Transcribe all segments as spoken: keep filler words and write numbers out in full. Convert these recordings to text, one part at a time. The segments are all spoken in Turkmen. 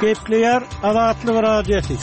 Gepleýär Azatlyk Radiosy.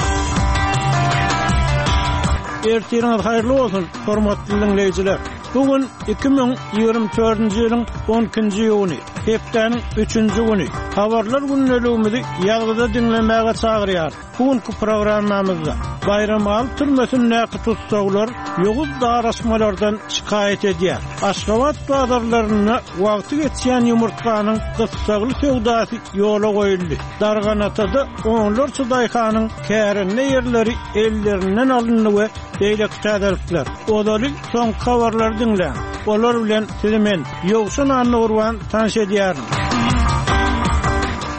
Ertiriňiz haýyrly bolsun, hormatly diňleýjiler. Bu gün iki müň ýigrimi dördünji ýylyň on ikinji iýuny, hepdäniň üçünji güni. Habarlar gündeligimizi ýazgyda diňlemäge çagyrýarys. Bu günki programmamyzda Baýramaly türmesindäki tussaglar ýowuz daraşmalardan şikaýat edýär. Aşgabat bazarlarynda wagty geçýän ýumurtganyň gyssagly söwdasy ýola goýuldy. Darganatada onlarça daýhanyň kärende ýerleri ellerinden alyndy we beýleki täzelikler. Ozaly soňky habarlary diňläň. Olar bilen sizi men, Ýowşan Annagurban tanyş edýärin.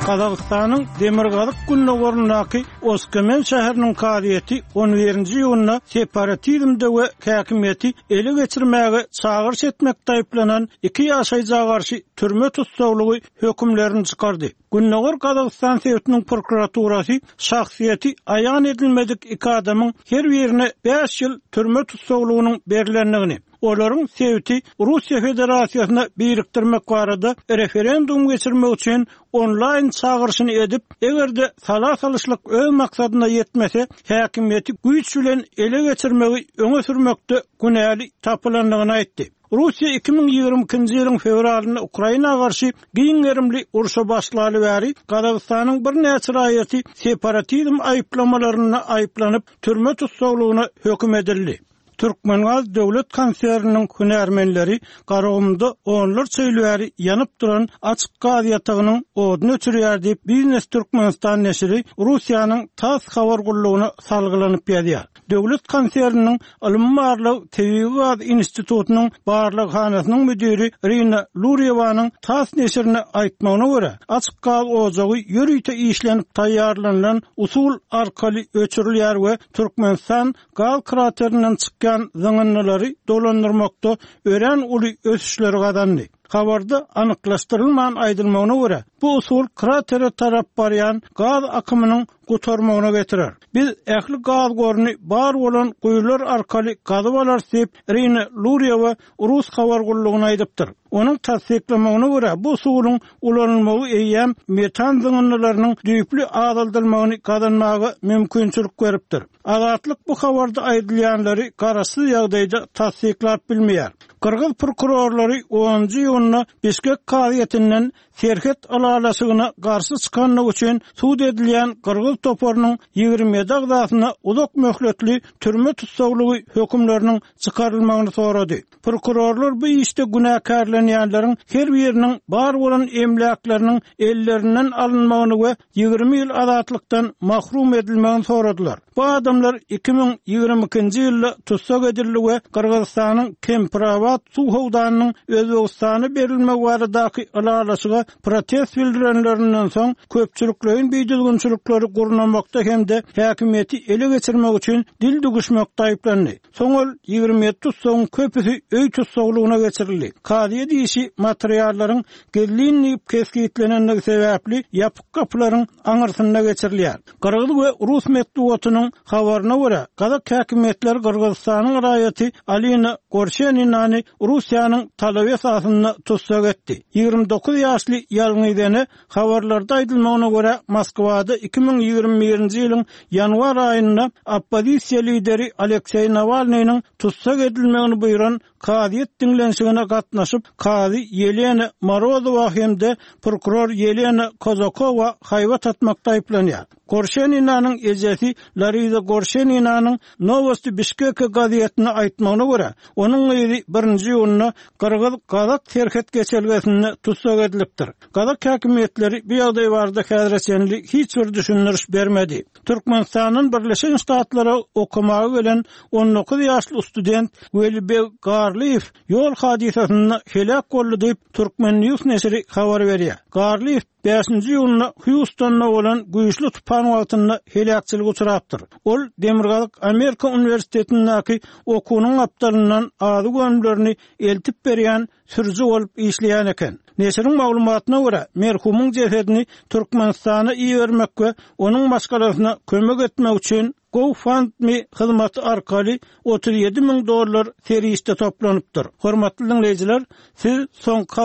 Gazagystanyň Demirgazyk gündogaryndaky Oskemen şäheriniň kazyýeti on birinji iýunda separatizmde we häkimiýeti ele geçirmäge çagyryş etmekde aýyplanan iki ýaşaýjyga garşy türme tussaglygy hökümlerini çykardy. Gündogar Gazagystan sebitiniň prokuraturasy şahsyýeti aýan edilmedik iki adamyň her birine bäş ýyl türme tussaglygynyň berlendigini, olaryň sebiti Russiýa Federasiýasyna birikdirmek barada referendum geçirmek üçin onlaýn çagyryşyny edip, eger-de sala salyşlyk öz maksadyna ýetmese, häkimiýeti güýç bilen ele geçirmegi öňe sürmekde günäli tapylandygyny aýtdy. Russiýa iki müň ýigrimi ikinji ýylyň fewralynda Ukraina garşy giň gerimli urşa başlaly bäri Gazagystanyň birnäçe raýaty separatizm aýyplamalarynda aýyplanyp, türme tussaglygyna höküm edildi. Türkmengaz döwlet konserniniň hünärmenleri Garagumda onlarça ýyl bäri ýanyp duran açyk gaz ýatagynyň oduny öçürýär diýip, Biznes Türkmenistan neşiri Russiýanyň TASS habar gullugyna salgylanyp ýazýar. Döwlet konserniniň Ylmy-barlag tebigy gaz institutynyň barlaghanasynyň müdiri Rina Lurýewanyň TASS neşirine aýtmagyna görä, açyk gaz ojagy ýörite işlenip taýýarlanylan usul arkaly öçürilýär we Türkmenistan gaz kraterinden çykýan zyňyndylary dolandyrmakda örän uly ösüşleri gazandy. Habarda anyklaşdyrylman aýdylmagyna görä, bu usul kratere tarap barýan gaz akymynyň gutarmagyna getirer. Biz ähli gaz goruny bar bolan guýular arkaly gazyp alarys diýip, Rina Lurýewa rus habar gullugyna aýdypdyr. Onuň tassyklamagyna görä, bu usulyň ulanylmagy eýýäm metan zyňyndylarynyň düýpli azaldylmagyny gazanmaga mümkinçilik beripdir. Azatlyk bu habarda aýdylýanlary garaşsyz ýagdaýda tassyklap bilmeýär. Gyrgyz prokurorlary onunjy iýunda Bişkek kazyýetinden serhet ylalaşygyna garşy çykanlygy üçin sud edilýän gyrgyz toparynyň ýigrimi ýedi agzasyna uzak möhletli türme tussaglygy hökümleriniň çykarylmagyny sorady. Prokurorlar bu işde günäkärlenýänleriň her biriniň bar bolan emläkleriniň ellerinden alynmagyny we ýigrimi ýyl azatlykdan mahrum edilmegini soradylar. Bu adamlar iki müň ýigrimi ikinji ýylda tussag edildi we Gyrgyzystanyň Kempirabat suw howdanynyň Özbegistana berilmegi baradaky ylalaşyga protest bildirenlerinden soň köpçülikleýin bidüzgünçilikleri gurnamakda hem-de häkimiýeti ele geçirmek üçin dil dügüşmekde aýyplandy. Soň ol ýigrimi ýedi tussagyň köpüsi öý tussaglygyna geçirildi. Kazyýet işi materiallaryň gizlin diýip kesgitlenendigi sebäpli ýapyk gapylaryň aňyrsynda geçirilýär. Gyrgyz we rus metbugatynyň habaryna görä, gazak häkimiýetleri Gyrgyzystanyň raýaty Alina Gorşeninany Russiýanyň talaby esasynda tussag etdi. Ýigrimi dokuz ýaşly ýalňyz ene habarlarda aýdylmagyna görä, Moskwada iki müň ýigrimi birinji ýylyň ýanwar aýynda oppozisiýa lideri Alekseý Nawalnynyň tussag edilmegini buýran kazyýet diňlenişigine gatnaşyp, kazy Ýelena Morozowa hem-de prokuror Ýelena Kozakowa haýbat atmakda aýyplanýar. Gorşeninanyň ejesi Larisa Gorşeninanyň Nowosti Bişkeke gazetine aýtmagyna görä, onuň gyzy birinji iýunda gyrgyz-gazak serhet geçelgesinde tussag edilipdir. Gazak häkimiýetleri bu ýagdaý barada häzire çenli hiç bir düşündiriş bermedi. Türkmenistandan Birleşen Ştatlara okamaga gelen on dokuz ýaşly student Welibeg Garlyýew ýol hadysasynda heläk boldy diýip, Turkmen News neşiri habar berýär. Garlyýew bäşinji iýunda Hýustonda bolan güýçli tupan wagtynda heläkçilige uçrapdyr. Ol Demirgazyk Amerika uniwersitetindäki okuwynyň gapdalyndan azyk önümlerini eltip berýän sürüji bolup işleýän eken. Neşiriň maglumatyna görä, merhumyň jesedini Türkmenistana ibermek we onuň maşgalasyna kömek etmek üçin GoFundMe hyzmaty arkaly otuz ýedi müň dollar serişde toplanypdyr. Hormatly diňleýjiler, siz soňky